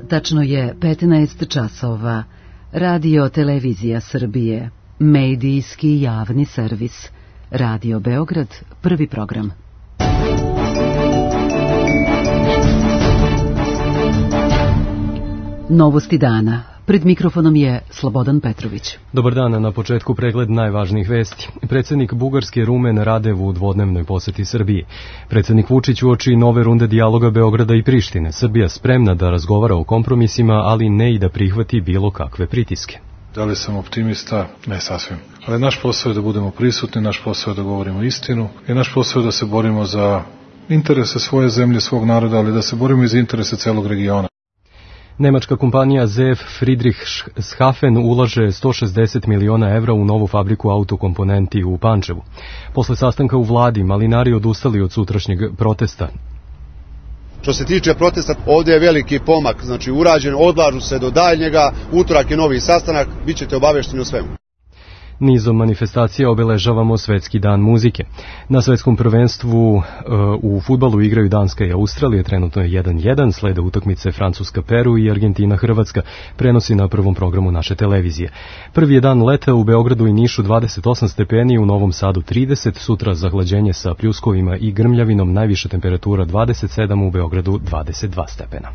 Tačno je 15 časova. Radio Televizija Srbije. Medijski javni servis. Radio Beograd, prvi program. Novosti dana. Pred mikrofonom je Slobodan Petrović. Dobar dan, na početku pregled najvažnijih vesti. Predsjednik Bugarske Rumen Radev u dvodnevnoj poseti Srbiji. Predsjednik Vučić uoči nove runde dijaloga Beograda i Prištine. Srbija spremna da razgovara o kompromisima, ali ne i da prihvati bilo kakve pritiske. Da li sam optimista? Ne sasvim. Ali naš posao je da budemo prisutni, naš posao je da govorimo istinu i naš posao je da se borimo za interese svoje zemlje, svog naroda, ali da se borimo i za interese celog regiona. Nemačka kompanija ZF Friedrichshafen ulaže 160 miliona evra u novu fabriku autokomponenti u Pančevu. Posle sastanka u vladi, malinari odustali od sutrašnjeg protesta. Što se tiče protesta, ovdje je veliki pomak, znači urađen, odlažu se do daljnjega, utorak je novi sastanak, bit ćete obavešteni o svemu. Nizom manifestacija obeležavamo Svetski dan muzike. Na svetskom prvenstvu u fudbalu igraju Danska i Australija, trenutno je 1-1, slede utakmice Francuska-Peru i Argentina-Hrvatska, prenosi na prvom programu naše televizije. Prvi je dan leta u Beogradu i Nišu 28 stepeni, u Novom Sadu 30, sutra zahlađenje sa pljuskovima i grmljavinom, najviša temperatura 27, u Beogradu 22 stepena.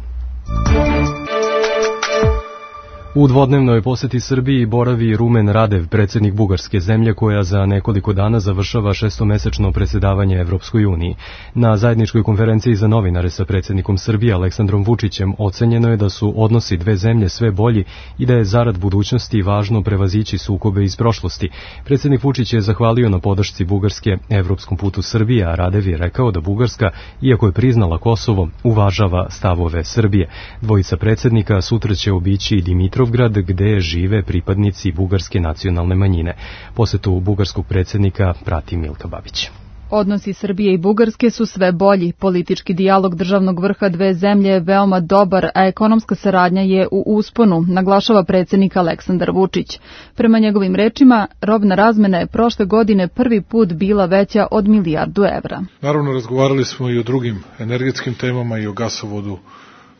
U dvodnevnoj poseti Srbiji boravi Rumen Radev, predsjednik Bugarske zemlje koja za nekoliko dana završava šestomesečno predsjedavanje Evropskoj uniji. Na zajedničkoj konferenciji za novinare sa predsjednikom Srbije Aleksandrom Vučićem ocenjeno je da su odnosi dve zemlje sve bolji i da je zarad budućnosti važno prevazići sukobe iz prošlosti. Predsjednik Vučić je zahvalio na podršci Bugarske evropskom putu Srbije, a Radev je rekao da Bugarska, iako je priznala Kosovo, uvažava stavove Srbije. Dvojica predsjednika sutra će obići i Dimitrovgrad, gde žive pripadnici bugarske nacionalne manjine. Posetu bugarskog predsjednika prati Milka Babić. Odnosi Srbije i Bugarske su sve bolji. Politički dijalog državnog vrha dve zemlje je veoma dobar, a ekonomska saradnja je u usponu, naglašava predsjednik Aleksandar Vučić. Prema njegovim rečima, robna razmena je prošle godine prvi put bila veća od 1 milijardu evra. Naravno, razgovarali smo i o drugim energetskim temama i o gasovodu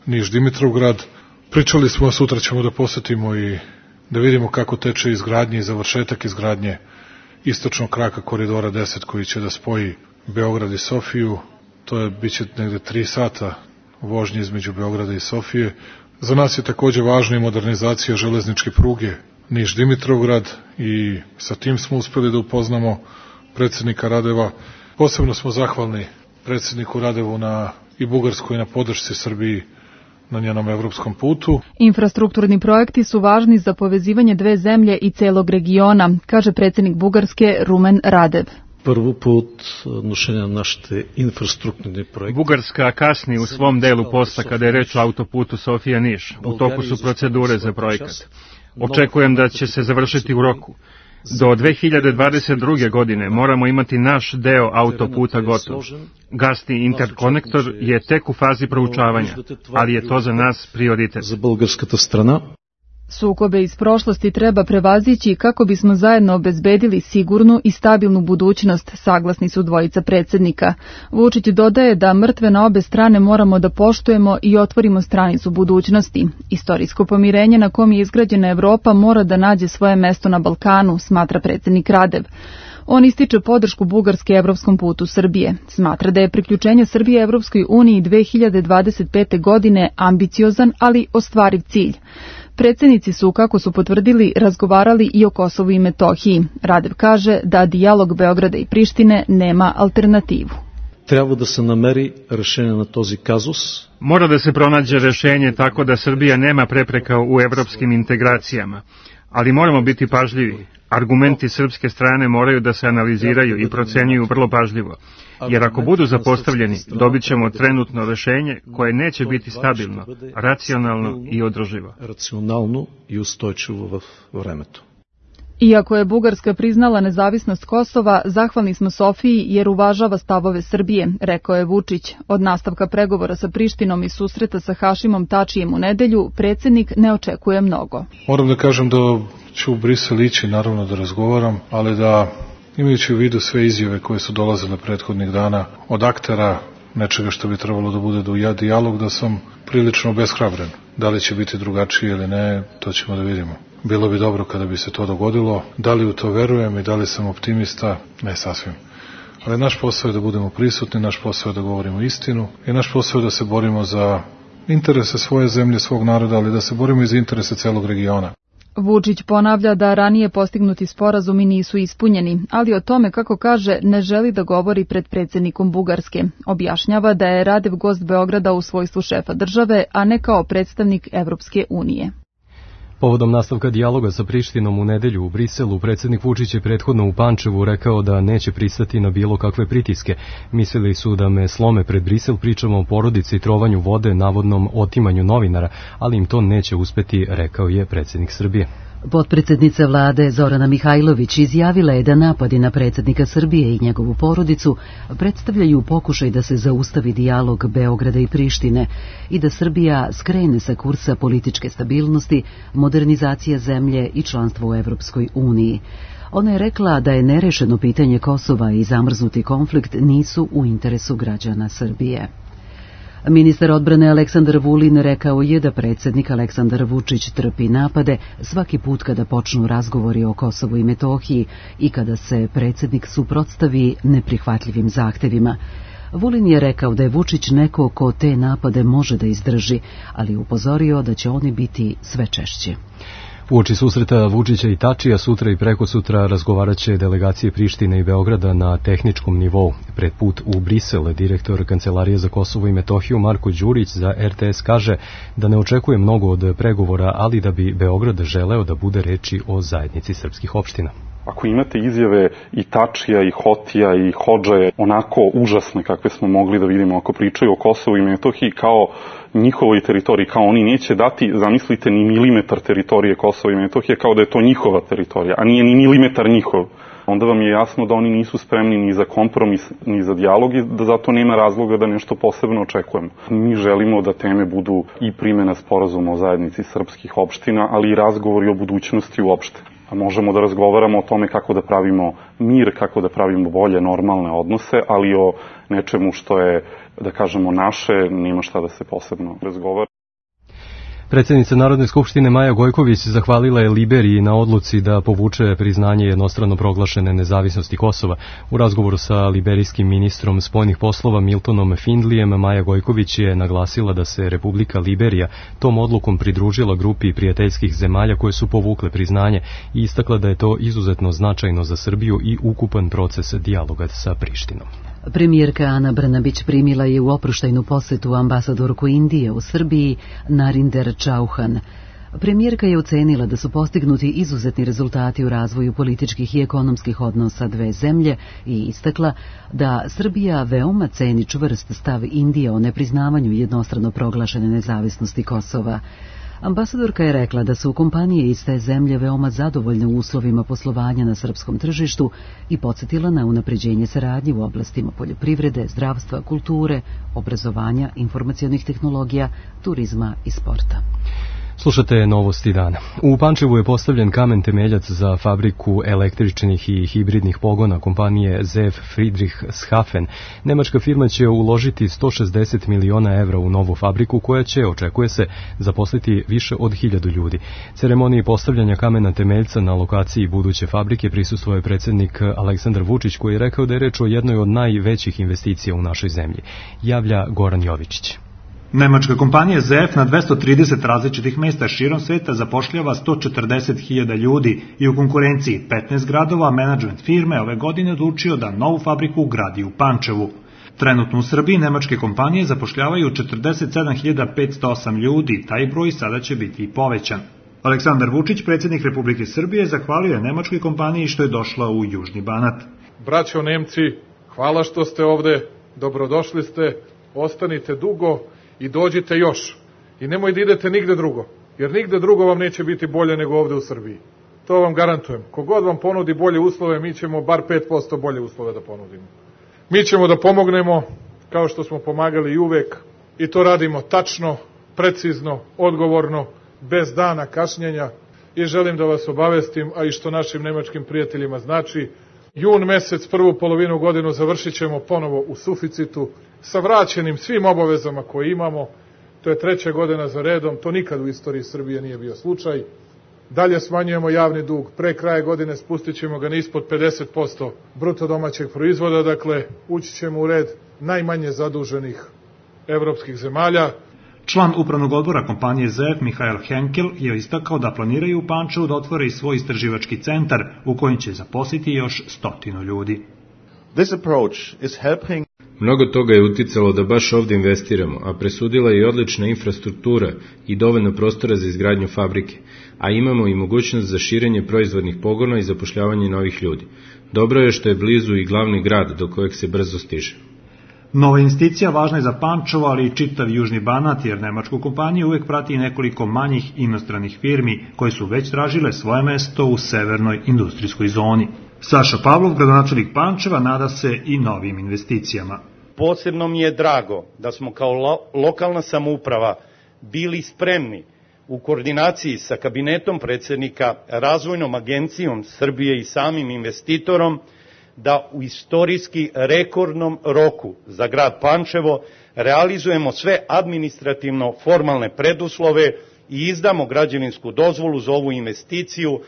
Niš-Dimitrovgrad. Pričali smo, sutra ćemo da posetimo i da vidimo kako teče izgradnje i završetak izgradnje istočnog kraka koridora 10 koji će da spoji Beograd i Sofiju. To je biće negde 3 sata vožnje između Beograda i Sofije. Za nas je takođe važna i modernizacija železničke pruge Niš-Dimitrovgrad i sa tim smo uspeli da upoznamo predsjednika Radeva. Posebno smo zahvalni predsjedniku Radevu i Bugarskoj na podršci Srbiji na njenom evropskom putu. Infrastrukturni projekti su važni za povezivanje dve zemlje i celog regiona, kaže predsjednik Bugarske Rumen Radev. Prvo put odnošenja našte infrastrukturni projekti. Bugarska kasni u svom delu posla kada je reč o autoputu Sofija-Niš. U toku su procedure za projekat. Očekujem da će se završiti u roku. Do 2022. godine moramo imati naš deo autoputa gotov. Gasni interkonektor je tek u fazi proučavanja, ali je to za nas prioritet. Za bulgarskата strana. Sukobe iz prošlosti treba prevazići kako bismo zajedno obezbedili sigurnu i stabilnu budućnost, saglasni su dvojica predsjednika. Vučić dodaje da mrtve na obe strane moramo da poštujemo i otvorimo stranicu budućnosti. Istorijsko pomirenje na kom je izgrađena Evropa mora da nađe svoje mesto na Balkanu, smatra predsjednik Radev. On ističe podršku Bugarske evropskom putu Srbije. Smatra da je priključenje Srbije Evropskoj uniji 2025. godine ambiciozan, ali ostvariv cilj. Predsjednici su, kako su potvrdili, razgovarali i o Kosovu i Metohiji. Radev kaže da dijalog Beograda i Prištine nema alternativu. Treba da se nameri rešenje na tozi kazus. Mora da se pronađe rešenje tako da Srbija nema prepreka u evropskim integracijama. Ali moramo biti pažljivi. Argumenti srpske strane moraju da se analiziraju i procenjuju vrlo pažljivo. Jer ako budu zapostavljeni, dobit ćemo trenutno rešenje koje neće biti stabilno, racionalno i održivo. Racionalno i ustojčivo u vremetu. Iako je Bugarska priznala nezavisnost Kosova, zahvalni smo Sofiji jer uvažava stavove Srbije, rekao je Vučić. Od nastavka pregovora sa Prištinom i susreta sa Hašimom Tačijem u nedelju, predsjednik ne očekuje mnogo. Moram da kažem da ću u Brisel ići, naravno da razgovaram, ali da imajući u vidu sve izjave koje su dolazile prethodnih dana od aktera nečega što bi trebalo da bude dijalog, da sam prilično obeshrabren. Da li će biti drugačije ili ne, to ćemo da vidimo. Bilo bi dobro kada bi se to dogodilo. Da li u to verujem i da li sam optimista, ne sasvim. Ali naš posao je da budemo prisutni, naš posao je da govorimo istinu i naš posao je da se borimo za interese svoje zemlje, svog naroda, ali da se borimo i za interese celog regiona. Vučić ponavlja da ranije postignuti sporazumi nisu ispunjeni, ali o tome, kako kaže, ne želi da govori pred predsjednikom Bugarske. Objašnjava da je Radev gost Beograda u svojstvu šefa države, a ne kao predstavnik Evropske unije. Povodom nastavka dijaloga sa Prištinom u nedelju u Briselu, predsjednik Vučić je prethodno u Pančevu rekao da neće pristati na bilo kakve pritiske. Mislili su da me slome pred Brisel, pričamo o porodici, trovanju vode, navodnom otimanju novinara, ali im to neće uspeti, rekao je predsjednik Srbije. Potpredsjednica vlade Zorana Mihajlović izjavila je da napadi na predsjednika Srbije i njegovu porodicu predstavljaju pokušaj da se zaustavi dijalog Beograda i Prištine i da Srbija skrene sa kursa političke stabilnosti, modernizacije zemlje i članstvo u Evropskoj uniji. Ona je rekla da je nerešeno pitanje Kosova i zamrznuti konflikt nisu u interesu građana Srbije. Ministar odbrane Aleksandar Vulin rekao je da predsjednik Aleksandar Vučić trpi napade svaki put kada počnu razgovori o Kosovu i Metohiji i kada se predsjednik suprotstavi neprihvatljivim zahtevima. Vulin je rekao da je Vučić neko ko te napade može da izdrži, ali upozorio da će oni biti sve češće. Uoči susreta Vučića i Tačija sutra i prekosutra razgovarat će delegacije Prištine i Beograda na tehničkom nivou. Pred put u Brisel, direktor Kancelarije za Kosovo i Metohiju Marko Đurić za RTS kaže da ne očekuje mnogo od pregovora, ali da bi Beograd želeo da bude reči o zajednici srpskih opština. Ako imate izjave i Tačija, i Hotija, i Hodžaje, onako užasne kakve smo mogli da vidimo ako pričaju o Kosovu i Metohiji kao njihovoj teritoriji, kao oni neće dati, zamislite, ni milimetar teritorije Kosova i Metohije, kao da je to njihova teritorija, a nije ni milimetar njihov, onda vam je jasno da oni nisu spremni ni za kompromis, ni za dijalog i da zato nema razloga da nešto posebno očekujemo. Mi želimo da teme budu i primjena sporazuma o zajednici srpskih opština, ali i razgovori o budućnosti uopšte. A možemo da razgovaramo o tome kako da pravimo mir, kako da pravimo bolje, normalne odnose, ali o nečemu što je, da kažemo, naše, nema šta da se posebno razgovara. Predsjednica Narodne skupštine Maja Gojković zahvalila je Liberiji na odluci da povuče priznanje jednostrano proglašene nezavisnosti Kosova. U razgovoru sa liberijskim ministrom spoljnih poslova Miltonom Findlijem, Maja Gojković je naglasila da se Republika Liberija tom odlukom pridružila grupi prijateljskih zemalja koje su povukle priznanje i istakla da je to izuzetno značajno za Srbiju i ukupan proces dijaloga sa Prištinom. Premijerka Ana Brnabić primila je u oproštajnu posetu ambasadorku Indije u Srbiji Narinder Chauhan. Premijerka je ocenila da su postignuti izuzetni rezultati u razvoju političkih i ekonomskih odnosa dve zemlje i istakla da Srbija veoma ceni čvrst stav Indije o nepriznavanju jednostrano proglašene nezavisnosti Kosova. Ambasadorka je rekla da su kompanije iz te zemlje veoma zadovoljne uslovima poslovanja na srpskom tržištu i podsjetila na unapređenje saradnje u oblastima poljoprivrede, zdravstva, kulture, obrazovanja, informacionih tehnologija, turizma i sporta. Slušate novosti dana. U Pančevu je postavljen kamen temeljac za fabriku električnih i hibridnih pogona kompanije ZF Friedrichshafen. Nemačka firma će uložiti 160 miliona evra u novu fabriku koja će, očekuje se, zaposliti više od 1000 ljudi. Ceremoniji postavljanja kamena temeljca na lokaciji buduće fabrike prisustvovao je predsjednik Aleksandar Vučić koji je rekao da je reč o jednoj od najvećih investicija u našoj zemlji. Javlja Goran Jovičić. Nemačka kompanija ZF na 230 različitih mesta širom sveta zapošljava 140.000 ljudi i u konkurenciji 15 gradova menadžment firme ove godine odlučio da novu fabriku gradi u Pančevu. Trenutno u Srbiji nemačke kompanije zapošljavaju 47.508 ljudi, taj broj sada će biti i povećan. Aleksandar Vučić, predsjednik Republike Srbije, zahvalio je nemačkoj kompaniji što je došla u Južni Banat. Braćo Nemci, hvala što ste ovde, dobrodošli ste, ostanite dugo i dođite još. I nemoj da idete nigde drugo, jer nigde drugo vam neće biti bolje nego ovde u Srbiji. To vam garantujem. Kogod vam ponudi bolje uslove, mi ćemo bar 5% bolje uslove da ponudimo. Mi ćemo da pomognemo, kao što smo pomagali i uvek, i to radimo tačno, precizno, odgovorno, bez dana kašnjenja. I želim da vas obavestim, a i što našim nemačkim prijateljima znači, Jun mesec, prvu polovinu godinu završit ćemo ponovo u suficitu sa vraćenim svim obavezama koje imamo. To je 3. godina za redom, to nikad u istoriji Srbije nije bio slučaj. Dalje smanjujemo javni dug, pre kraja godine spustit ćemo ga na ispod 50% bruto domaćeg proizvoda, dakle ući ćemo u red najmanje zaduženih evropskih zemalja. Član upravnog odbora kompanije ZF Mihael Henkel je istakao da planiraju u Pančevu da otvore i svoj istraživački centar u kojem će zaposliti još 100 ljudi. Mnogo toga je uticalo da baš ovde investiramo, a presudila je i odlična infrastruktura i dovoljno prostora za izgradnju fabrike, a imamo i mogućnost za širenje proizvodnih pogona i zapošljavanje novih ljudi. Dobro je što je blizu i glavni grad do kojeg se brzo stiže. Nova investicija važna je za Pančevo, ali i čitav Južni Banat, jer nemačku kompaniju uvek prati nekoliko manjih inostranih firmi koje su već tražile svoje mesto u severnoj industrijskoj zoni. Saša Pavlov, gradonačelnik Pančeva, nada se i novim investicijama. Posebno mi je drago da smo kao lokalna samouprava bili spremni u koordinaciji sa kabinetom predsjednika, Razvojnom agencijom Srbije i samim investitorom da u istorijski rekordnom roku za grad Pančevo realizujemo sve administrativno formalne preduslove i izdamo građevinsku dozvolu za ovu investiciju.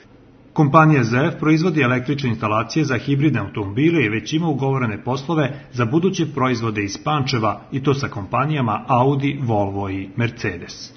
Kompanija ZF proizvodi električne instalacije za hibridne automobile i već ima ugovorene poslove za buduće proizvode iz Pančeva, i to sa kompanijama Audi, Volvo i Mercedes.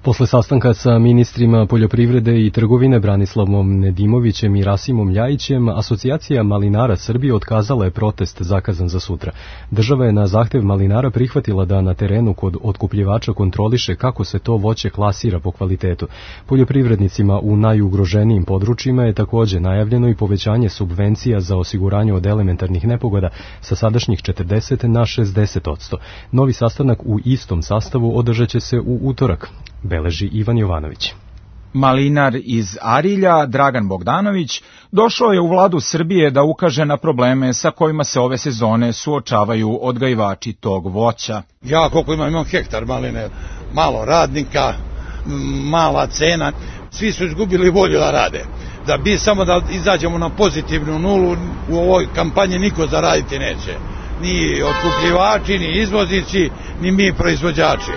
Posle sastanka sa ministrima poljoprivrede i trgovine Branislavom Nedimovićem i Rasimom Ljajićem, Asocijacija malinara Srbije otkazala je protest zakazan za sutra. Država je na zahtev malinara prihvatila da na terenu kod otkupljivača kontroliše kako se to voće klasira po kvalitetu. Poljoprivrednicima u najugroženijim područjima je takođe najavljeno i povećanje subvencija za osiguranje od elementarnih nepogoda sa sadašnjih 40 na 60%. Novi sastanak u istom sastavu održat će se u utorak, beleži Ivan Jovanović. Malinar iz Arilja, Dragan Bogdanović, došao je u vladu Srbije da ukaže na probleme sa kojima se ove sezone suočavaju odgajivači tog voća. Ja koliko imam hektar maline, malo radnika, mala cena, svi su izgubili volju da rade. Da bi samo da izađemo na pozitivnu nulu, u ovoj kampanji niko zaraditi neće. Ni otkupljivači, ni izvoznici, ni mi proizvođači.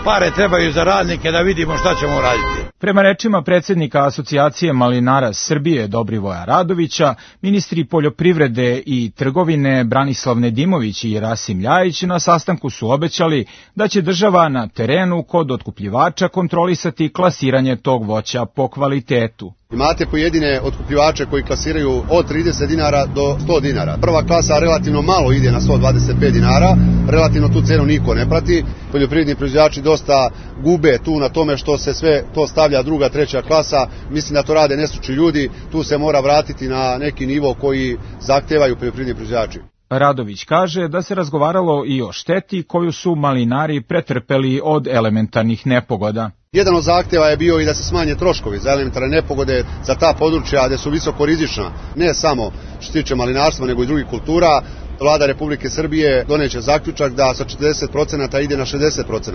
Pare trebaju za radnike da vidimo šta ćemo raditi. Prema rečima predsjednika Asocijacije malinara Srbije Dobrivoja Radovića, ministri poljoprivrede i trgovine Branislav Nedimović i Rasim Ljajić na sastanku su obećali da će država na terenu kod otkupljivača kontrolisati klasiranje tog voća po kvalitetu. Imate pojedine otkupljivače koji klasiraju od 30 dinara do 100 dinara. Prva klasa relativno malo ide na 125 dinara, relativno tu cenu niko ne prati. Poljoprivredni proizvođači dosta gube tu na tome što se sve to stavlja druga, treća klasa. Mislim da to rade nestručni ljudi, tu se mora vratiti na neki nivo koji zahtevaju poljoprivredni proizvođači. Radović kaže da se razgovaralo i o šteti koju su malinari pretrpeli od elementarnih nepogoda. Jedan od zahteva je bio i da se smanje troškovi za elementarne nepogode za ta područja gde su visoko rizična, ne samo što se tiče malinarstva nego i drugih kultura. Vlada Republike Srbije doneće zaključak da sa 40% ide na 60%.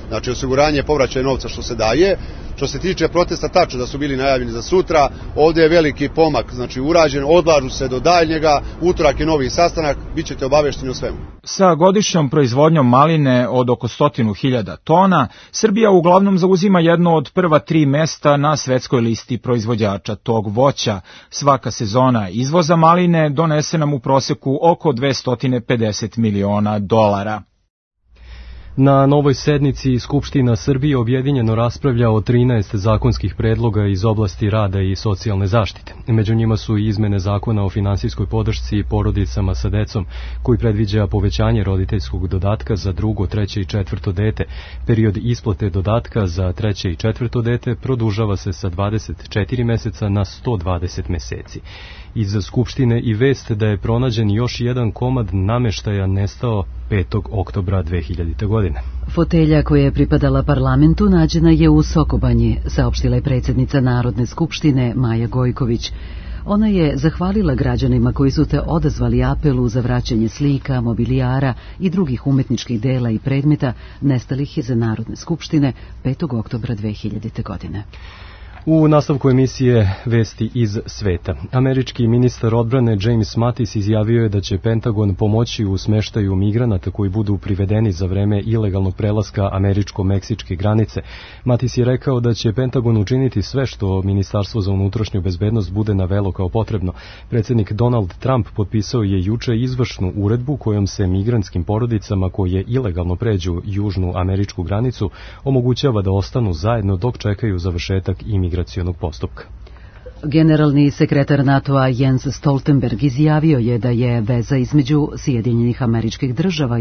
Znači osiguranje povraćaja novca što se daje. Što se tiče protesta, tačno da su bili najavljeni za sutra. Ovde je veliki pomak, znači urađen, odlažu se do daljnjega. Utorak je novi sastanak, bit ćete obavešteni o svemu. Sa godišnjom proizvodnjom maline od oko 100.000 tona, Srbija uglavnom zauzima jedno od prva 3 mesta na svetskoj listi proizvođača tog voća. Svaka sezona izvoza maline donese nam u proseku oko $250 miliona. Na novoj sednici Skupština Srbije objedinjeno raspravlja o 13 zakonskih predloga iz oblasti rada i socijalne zaštite. Među njima su i izmene zakona o finansijskoj podršci porodicama sa decom, koji predviđa povećanje roditeljskog dodatka za drugo, treće i četvrto dete. Period isplate dodatka za treće i četvrto dete produžava se sa 24 meseca na 120 meseci. Iz Skupštine i vest da je pronađen još jedan komad nameštaja nestao 5. oktobra 2000. godine. Fotelja koja je pripadala parlamentu nađena je u Sokobanji, saopštila je predsjednica Narodne skupštine Maja Gojković. Ona je zahvalila građanima koji su te odazvali apelu za vraćanje slika, mobilijara i drugih umetničkih dela i predmeta nestalih iz Narodne skupštine 5. oktobra 2000. godine. U nastavku emisije Vesti iz sveta. Američki ministar odbrane James Mattis izjavio je da će Pentagon pomoći u smeštaju migranata koji budu privedeni za vreme ilegalnog prelaska američko-meksičke granice. Mattis je rekao da će Pentagon učiniti sve što Ministarstvo za unutrašnju bezbednost bude navelo kao potrebno. Predsjednik Donald Trump potpisao je juče izvršnu uredbu kojom se migrantskim porodicama koje ilegalno pređu južnu američku granicu omogućava da ostanu zajedno dok čekaju završetak imigracionog postupka. Generalni sekretar NATO-a Jens Stoltenberg izjavio je da je veza između Sjedinjenih Američkih Država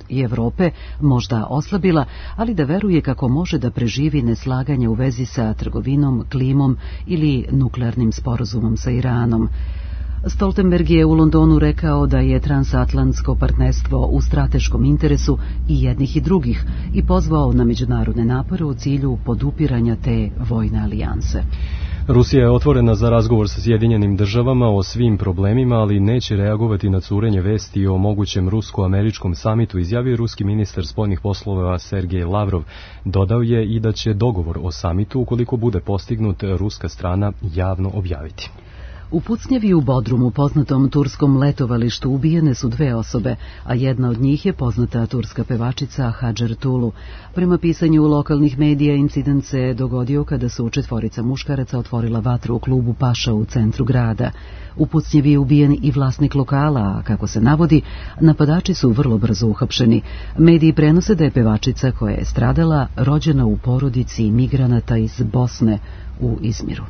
i Evrope možda oslabila, ali da veruje kako može da preživi neslaganje u vezi sa trgovinom, klimom ili nuklearnim sporazumom sa Iranom. Stoltenberg je u Londonu rekao da je transatlantsko partnerstvo u strateškom interesu i jednih i drugih i pozvao na međunarodne napore u cilju podupiranja te vojne alijanse. Rusija je otvorena za razgovor sa Sjedinjenim Državama o svim problemima, ali neće reagovati na curenje vesti o mogućem rusko-američkom samitu, izjavio ruski ministar spoljnih poslova Sergej Lavrov. Dodao je i da će dogovor o samitu, ukoliko bude postignut, ruska strana javno objaviti. U pucnjavi u Bodrumu, poznatom turskom letovalištu, ubijene su 2 osobe, a jedna od njih je poznata turska pevačica Hadžer Tulu. Prema pisanju lokalnih medija, incident se dogodio kada su 4 muškaraca otvorila vatru u klubu Paša u centru grada. U pucnjavi je ubijen i vlasnik lokala, a kako se navodi, napadači su vrlo brzo uhapšeni. Mediji prenose da je pevačica koja je stradala rođena u porodici migranata iz Bosne u Izmiru.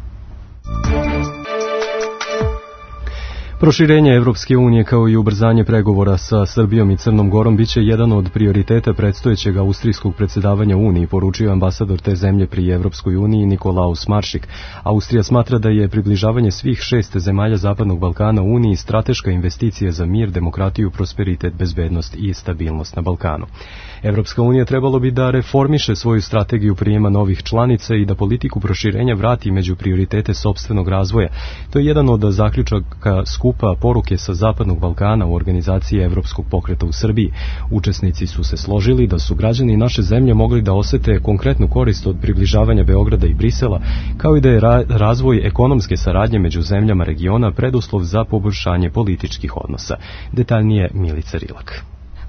Proširenje Evropske unije kao i ubrzanje pregovora sa Srbijom i Crnom Gorom biće jedan od prioriteta predstojećeg austrijskog predsjedavanja Uniji, poručio ambasador te zemlje pri Evropskoj uniji Nikolaus Maršik. Austrija smatra da je približavanje svih 6 zemalja Zapadnog Balkana Uniji strateška investicija za mir, demokratiju, prosperitet, bezbednost i stabilnost na Balkanu. Evropska unija trebalo bi da reformiše svoju strategiju prijema novih članica i da politiku proširenja vrati među prioritete sopstvenog razvoja. To je jedan od zaključaka skupa poruke sa Zapadnog Balkana u organizaciji Evropskog pokreta u Srbiji. Učesnici su se složili da su građani naše zemlje mogli da osete konkretnu korist od približavanja Beograda i Brisela, kao i da je razvoj ekonomske saradnje među zemljama regiona preduslov za poboljšanje političkih odnosa. Detaljnije Milica Rilak.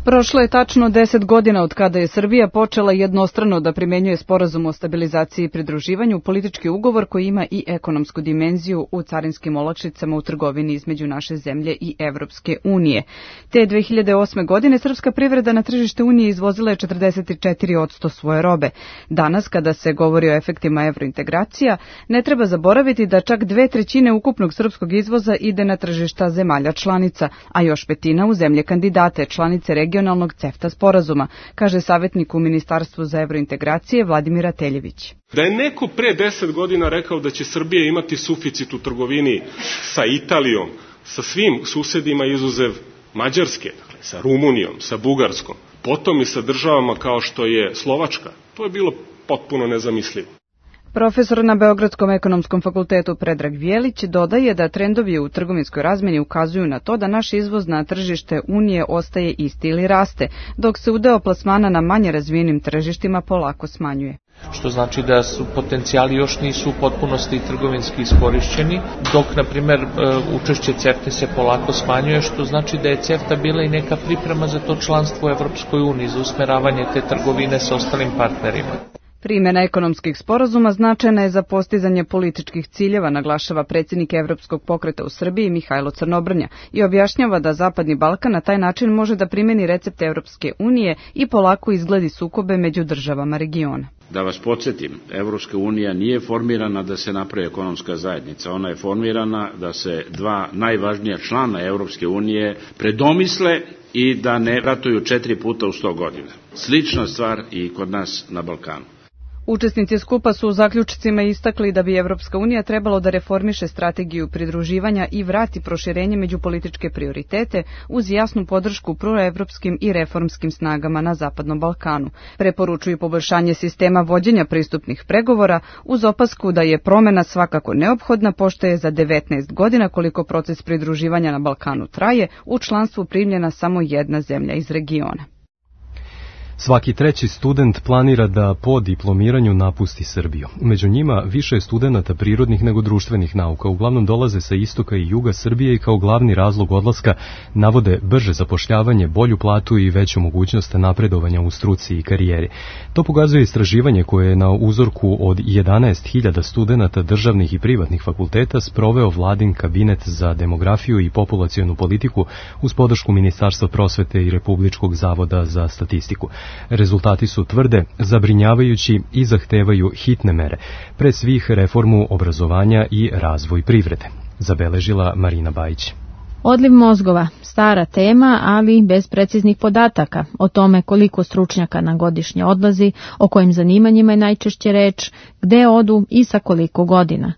Prošlo je tačno 10 godina od kada je Srbija počela jednostrano da primenjuje sporazum o stabilizaciji i pridruživanju, politički ugovor koji ima i ekonomsku dimenziju u carinskim olakšicama u trgovini između naše zemlje i Evropske unije. Te 2008. godine srpska privreda na tržište Unije izvozila je 44% svoje robe. Danas, kada se govori o efektima evrointegracija, ne treba zaboraviti da čak 2/3 ukupnog srpskog izvoza ide na tržišta zemalja članica, a još 1/5 u zemlje kandidate, članice regionalnog CEFTA sporazuma, kaže savjetnik u Ministarstvu za evrointegracije Vladimir Ateljević. Da je neko pre 10 godina rekao da će Srbija imati suficit u trgovini sa Italijom, sa svim susedima izuzev Mađarske, dakle, sa Rumunijom, sa Bugarskom, potom i sa državama kao što je Slovačka, to je bilo potpuno nezamislivo. Profesor na Beogradskom ekonomskom fakultetu Predrag Vjelić dodaje da trendovi u trgovinskoj razmjeni ukazuju na to da naš izvoz na tržište Unije ostaje isti ili raste, dok se udeo plasmana na manje razvijenim tržištima polako smanjuje. Što znači da su potencijali još nisu u potpunosti trgovinski iskorišćeni, dok, na primjer, učešće CEFTA se polako smanjuje, što znači da je CEFTA bila i neka priprema za to članstvo u Evropskoj uniji, za usmeravanje te trgovine sa ostalim partnerima. Primjena ekonomskih sporazuma značajna je za postizanje političkih ciljeva, naglašava predsjednik Evropskog pokreta u Srbiji Mihajlo Crnobrnja i objašnjava da Zapadni Balkan na taj način može da primjeni recepte Evropske unije i polako izgledi sukobe među državama regiona. Da vas podsjetim, Evropska unija nije formirana da se napravi ekonomska zajednica, ona je formirana da se 2 najvažnija člana Evropske unije predomisle i da ne ratuju 4 puta u 100 godina. Slična stvar i kod nas na Balkanu. Učesnici skupa su u zaključcima istakli da bi Evropska unija trebalo da reformiše strategiju pridruživanja i vrati proširenje među političke prioritete uz jasnu podršku proevropskim i reformskim snagama na Zapadnom Balkanu. Preporučuju poboljšanje sistema vođenja pristupnih pregovora uz opasku da je promjena svakako neophodna, pošto je za 19 godina koliko proces pridruživanja na Balkanu traje, u članstvu primljena samo jedna zemlja iz regiona. Svaki treći student planira da po diplomiranju napusti Srbiju. Među njima više je studenata prirodnih nego društvenih nauka. Uglavnom dolaze sa istoka i juga Srbije i kao glavni razlog odlaska navode brže zapošljavanje, bolju platu i veću mogućnost napredovanja u struci i karijeri. To pokazuje istraživanje koje je na uzorku od 11.000 studenata državnih i privatnih fakulteta sproveo vladin kabinet za demografiju i populacionu politiku uz podršku Ministarstva prosvete i Republičkog zavoda za statistiku. Rezultati su tvrde, zabrinjavajući i zahtevaju hitne mere, pre svih reformu obrazovanja i razvoj privrede, zabeležila Marina Bajić. Odliv mozgova, stara tema, ali bez preciznih podataka o tome koliko stručnjaka na godišnje odlazi, o kojim zanimanjima je najčešće reč, gde odu i sa koliko godina.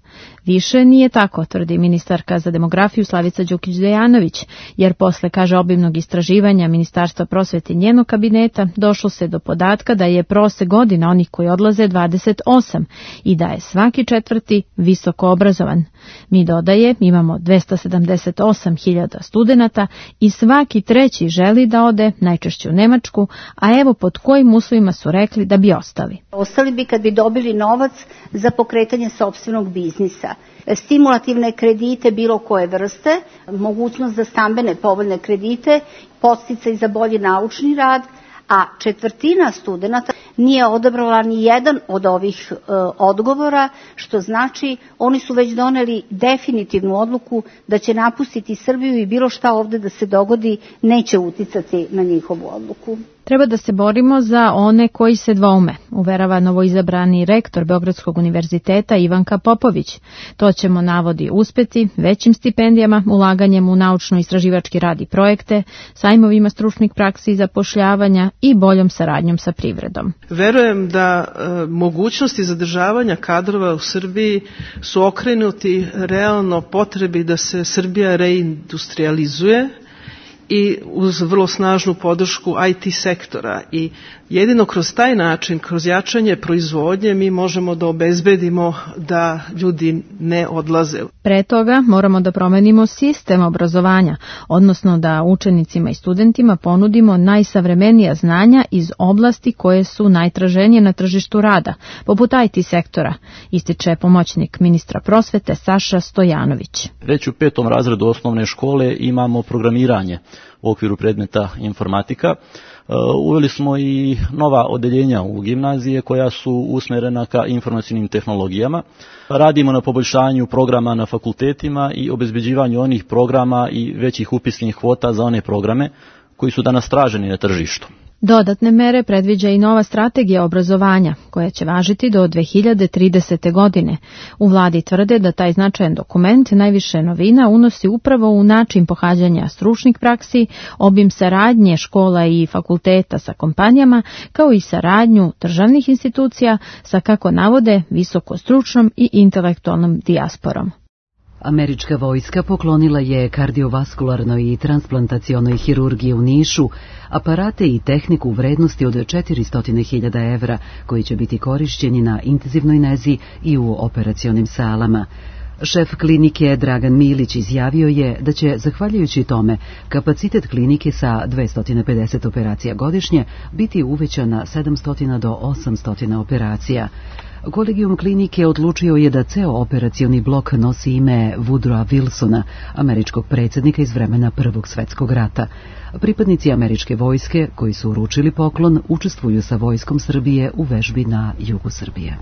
Više nije tako, tvrdi ministarka za demografiju Slavica Đukić-Dejanović, jer posle, kaže, obimnog istraživanja Ministarstva prosvete i njenog kabineta došlo se do podatka da je prosek godina onih koji odlaze 28 i da je svaki četvrti visoko obrazovan. Mi, dodaje, imamo 278.000 studenata i svaki treći želi da ode, najčešće u Nemačku, a evo pod kojim uslovima su rekli da bi ostali. Ostali bi kad bi dobili novac za pokretanje sopstvenog biznisa. Stimulativne kredite bilo koje vrste, mogućnost za stambene povoljne kredite, podsticaj za bolji naučni rad, a četvrtina studenata nije odabrala ni jedan od ovih odgovora, što znači oni su već doneli definitivnu odluku da će napustiti Srbiju i bilo šta ovde da se dogodi neće uticati na njihovu odluku. Treba da se borimo za one koji se dvoume, uverava novoizabrani rektor Beogradskog univerziteta Ivanka Popović. To ćemo, navodi, uspeti većim stipendijama, ulaganjem u naučno-istraživački rad i projekte, sajmovima stručnih praksi i zapošljavanja i boljom saradnjom sa privredom. Verujem da mogućnosti zadržavanja kadrova u Srbiji su okrenuti realno potrebi da se Srbija reindustrializuje i uz vrlo snažnu podršku IT sektora i jedino kroz taj način, kroz jačanje proizvodnje mi možemo da obezbedimo da ljudi ne odlaze. Pre toga moramo da promenimo sistem obrazovanja, odnosno da učenicima i studentima ponudimo najsavremenija znanja iz oblasti koje su najtraženije na tržištu rada, poput IT sektora, ističe pomoćnik ministra prosvete Saša Stojanović. Već u 5. razredu osnovne škole imamo programiranje u okviru predmeta informatika. Uveli smo i nova odeljenja u gimnazije koja su usmerena ka informacionim tehnologijama. Radimo na poboljšanju programa na fakultetima i obezbeđivanju onih programa i većih upisnih kvota za one programe koji su danas traženi na tržištu. Dodatne mere predviđa i nova strategija obrazovanja, koja će važiti do 2030. godine. U vladi tvrde da taj značajan dokument najviše novina unosi upravo u način pohađanja stručnih praksi, obim saradnje škola i fakulteta sa kompanijama, kao i saradnju državnih institucija sa, kako navode, visokostručnom i intelektualnom dijasporom. Američka vojska poklonila je kardiovaskularnoj i transplantacionoj hirurgiji u Nišu aparate i tehniku u vrednosti od 400.000 evra, koji će biti korišćeni na intenzivnoj nezi i u operacionim salama. Šef klinike Dragan Milić izjavio je da će, zahvaljujući tome, kapacitet klinike sa 250 operacija godišnje biti uvećan na 700 do 800 operacija. Kolegijum klinike odlučio je da ceo operacioni blok nosi ime Woodrowa Wilsona, američkog predsjednika iz vremena Prvog svjetskog rata. Pripadnici američke vojske, koji su uručili poklon, učestvuju sa vojskom Srbije u vežbi na jugu Srbije.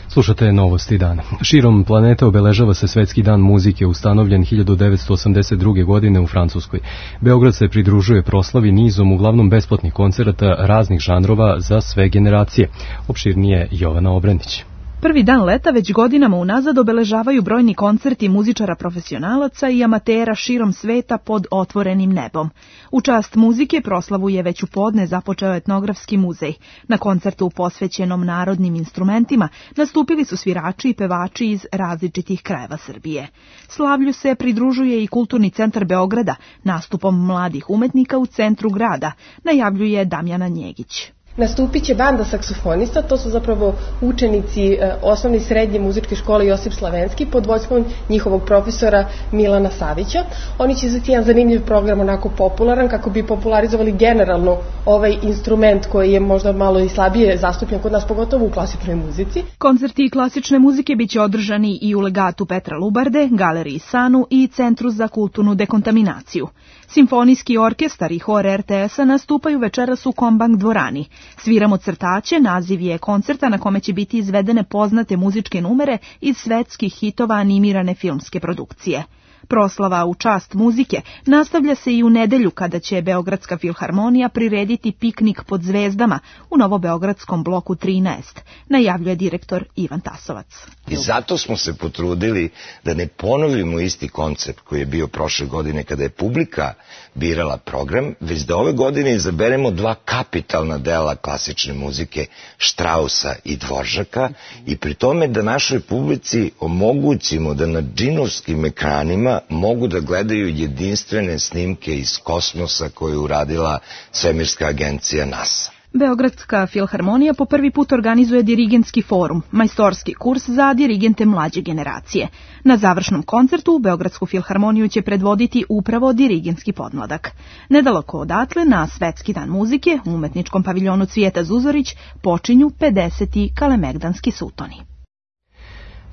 Slušate novosti dana. Širom planeta obeležava se Svetski dan muzike, ustanovljen 1982. godine u Francuskoj. Beograd se pridružuje proslavi nizom uglavnom besplatnih koncerata raznih žanrova za sve generacije. Opširnije Jovana Obrendić. Prvi dan leta već godinama unazad obeležavaju brojni koncerti muzičara profesionalaca i amatera širom sveta pod otvorenim nebom. U čast muzike proslavu je već u podne započeo etnografski muzej. Na koncertu posvećenom narodnim instrumentima nastupili su svirači i pevači iz različitih krajeva Srbije. Slavlju se pridružuje i Kulturni centar Beograda nastupom mladih umetnika u centru grada, najavljuje Damjana Njegić. Nastupit će banda saksofonista, to su zapravo učenici osnovne i srednje muzičke škole Josip Slavenski pod vođstvom njihovog profesora Milana Savića. Oni će izvesti jedan zanimljiv program, onako popularan, kako bi popularizovali generalno ovaj instrument koji je možda malo i slabije zastupljen kod nas, pogotovo u klasičnoj muzici. Koncerti klasične muzike biće održani i u legatu Petra Lubarde, Galeriji Sanu i Centru za kulturnu dekontaminaciju. Simfonijski orkestar i hor RTS-a nastupaju večeras u Kombank dvorani. Sviramo crtaće, naziv je koncerta na kome će biti izvedene poznate muzičke numere iz svetskih hitova animirane filmske produkcije. Proslava u čast muzike nastavlja se i u nedelju kada će Beogradska filharmonija prirediti piknik pod zvezdama u Novobeogradskom bloku 13, najavljuje direktor Ivan Tasovac. I zato smo se potrudili da ne ponovimo isti koncept koji je bio prošle godine kada je publika birala program, već da ove godine izaberemo dva kapitalna dela klasične muzike, Štrausa i Dvoržaka, i pri tome da našoj publici omogućimo da na džinovskim ekranima mogu da gledaju jedinstvene snimke iz kosmosa koje je uradila svemirska agencija NASA. Beogradska filharmonija po prvi put organizuje dirigentski forum, majstorski kurs za dirigente mlađe generacije. Na završnom koncertu Beogradsku filharmoniju će predvoditi upravo dirigentski podmladak. Nedaleko odatle, na Svetski dan muzike, u umetničkom paviljonu Cvijeta Zuzorić, počinju 50. kalemegdanski sutoni.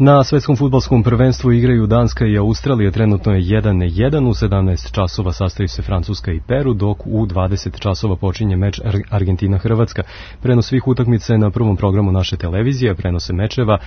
Na svetskom fudbalskom prvenstvu igraju Danska i Australija, trenutno je 1-1, u 17 časova sastaju se Francuska i Peru, dok u 20 časova počinje meč Argentina-Hrvatska. Prenos svih utakmica je na prvom programu naše televizije, prenose mečeva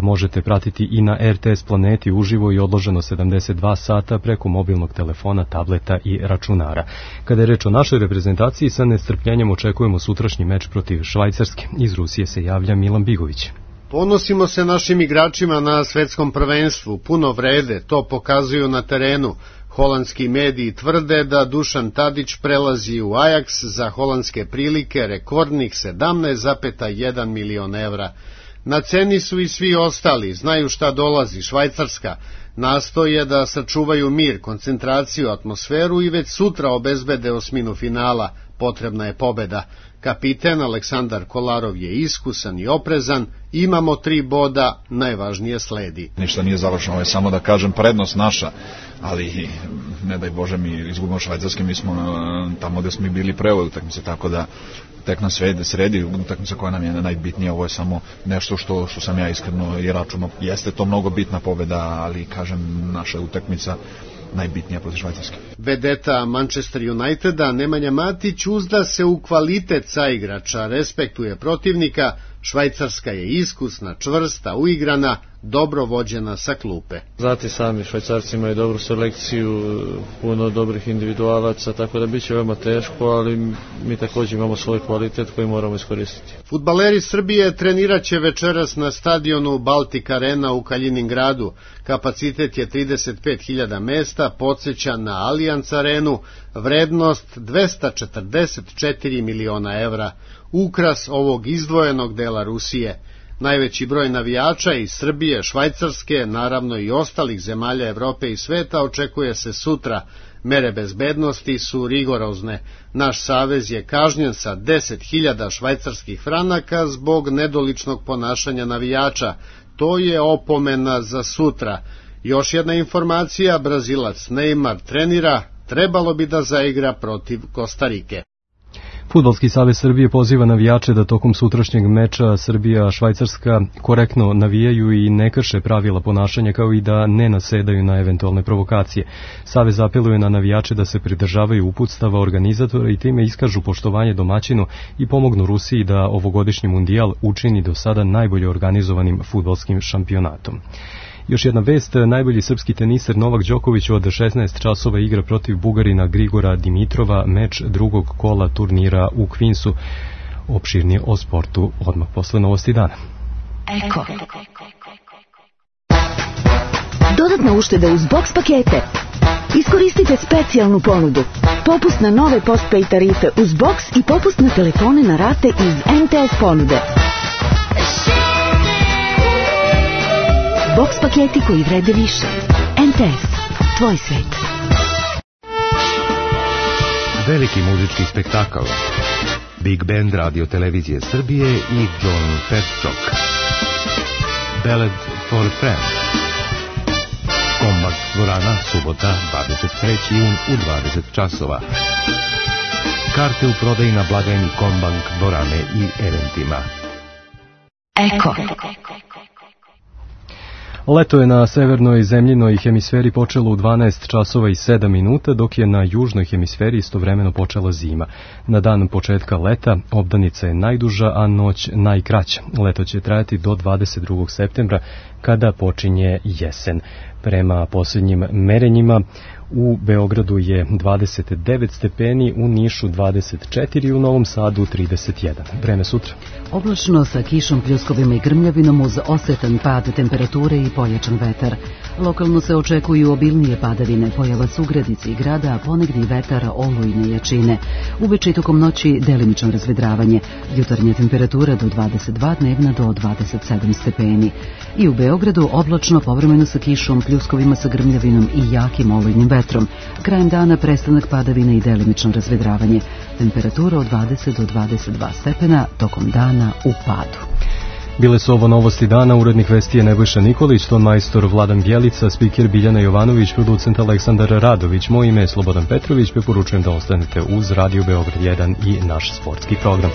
možete pratiti i na RTS Planeti uživo i odloženo 72 sata preko mobilnog telefona, tableta i računara. Kada je reč o našoj reprezentaciji, sa nestrpljenjem očekujemo sutrašnji meč protiv Švajcarske. Iz Rusije se javlja Milan Bigović. Ponosimo se našim igračima na svetskom prvenstvu, puno vrede, to pokazuju na terenu. Holandski mediji tvrde da Dušan Tadić prelazi u Ajax za holandske prilike rekordnih 17,1 milion evra. Na ceni su i svi ostali, znaju šta dolazi, Švajcarska. Nastoje da sačuvaju mir, koncentraciju, atmosferu i već sutra obezbede osminu finala. Potrebna je pobeda. Kapiten Aleksandar Kolarov je iskusan i oprezan, imamo 3 boda, najvažnije sledi. Ništa nije završeno, ovo je samo da kažem prednost naša, ali ne daj Bože mi izgubimo Švajcarske, mi smo tamo gde smo mi bili pre ovoj utakmice, tako da tek na sredi utakmica koja nam je najbitnija, ovo je samo nešto što sam ja iskreno i računao. Jeste to mnogo bitna pobeda, ali kažem naša utakmica najbitnija protiv Švajcarske. Vedeta Manchester Uniteda Nemanja Matić uzda se u kvalitet saigrača, respektuje protivnika, Švajcarska je iskusna, čvrsta, uigrana, dobro vođena sa klupe. Znate sami, Švajcarci imaju dobru selekciju, puno dobrih individualaca, tako da biće veoma teško, ali mi također imamo svoj kvalitet koji moramo iskoristiti. Fudbaleri Srbije treniraće večeras na stadionu Baltic Arena u Kaliningradu. Kapacitet je 35.000 mesta, podsjeća na Allianz Arenu, vrednost 244 miliona evra. Ukras ovog izdvojenog dela Rusije. Najveći broj navijača iz Srbije, Švajcarske, naravno i ostalih zemalja Evrope i sveta očekuje se sutra. Mere bezbednosti su rigorozne. Naš savez je kažnjen sa 10.000 švajcarskih franaka zbog nedoličnog ponašanja navijača. To je opomena za sutra. Još jedna informacija, Brazilac Neymar trenira, trebalo bi da zaigra protiv Kostarike. Fudbalski savez Srbije poziva navijače da tokom sutrašnjeg meča Srbija-Švajcarska korektno navijaju i ne krše pravila ponašanja, kao i da ne nasedaju na eventualne provokacije. Savez apeluje na navijače da se pridržavaju uputstava organizatora i time iskažu poštovanje domaćinu i pomognu Rusiji da ovogodišnji mundijal učini do sada najbolje organizovanim fudbalskim šampionatom. Još jedna vest, najbolji srpski teniser Novak Đoković od 16 časova igra protiv Bugarina Grigora Dimitrova, meč drugog kola turnira u Queensu. Opširnije o sportu odmah posle novosti dana. Eko. Dodatna ušteda uz box pakete. Iskoristite specijalnu ponudu. Popust na nove postpaid tarife uz box i popust na telefone na rate iz MTS ponude. Box paketi koji vrede više. MTS. Tvoj svet. Veliki muzički spektakl. Big Band Radio Televizije Srbije i John Petchok. Ballad for a Friend. Kombak dvorana, subota, 23. jun u 20 časova. Karte u prodaji na blagajni Kombank dvorane i eventima. Eko. Leto je na severnoj zemljinoj hemisferi počelo u 12 časova i 7 minuta, dok je na južnoj hemisferi istovremeno počela zima. Na dan početka leta obdanica je najduža, a noć najkraća. Leto će trajati do 22. septembra, kada počinje jesen. Prema posljednjim merenjima, u Beogradu je 29 stepeni, u Nišu 24, u Novom Sadu 31. Vreme sutra. Oblačno sa kišom, pljuskovima i grmljavinom uz osetan pad temperature i pojačan vetar. Lokalno se očekuju obilnije padavine, pojava sugradice i grada, a ponegdje i vetar olujne jačine. Uveče i tokom noći delimično razvedravanje. Jutarnja temperatura do 22, dnevna do 27 stepeni. I u Beogradu oblačno, povremeno sa kišom, pljuskovima sa grmljavinom i jakim olujnim vetrom. Krajem dana prestanak padavina i delimično razvedravanje. Temperatura od 20 do 22 stepena, tokom dana u padu. Bile su ovo novosti dana, urednik vesti je Nebojša Nikolić, ton majstor Vladan Bjelica, spiker Biljana Jovanović, producent Aleksandar Radović. Moje ime je Slobodan Petrović, preporučujem da ostanete uz Radio Beograd 1 i naš sportski program.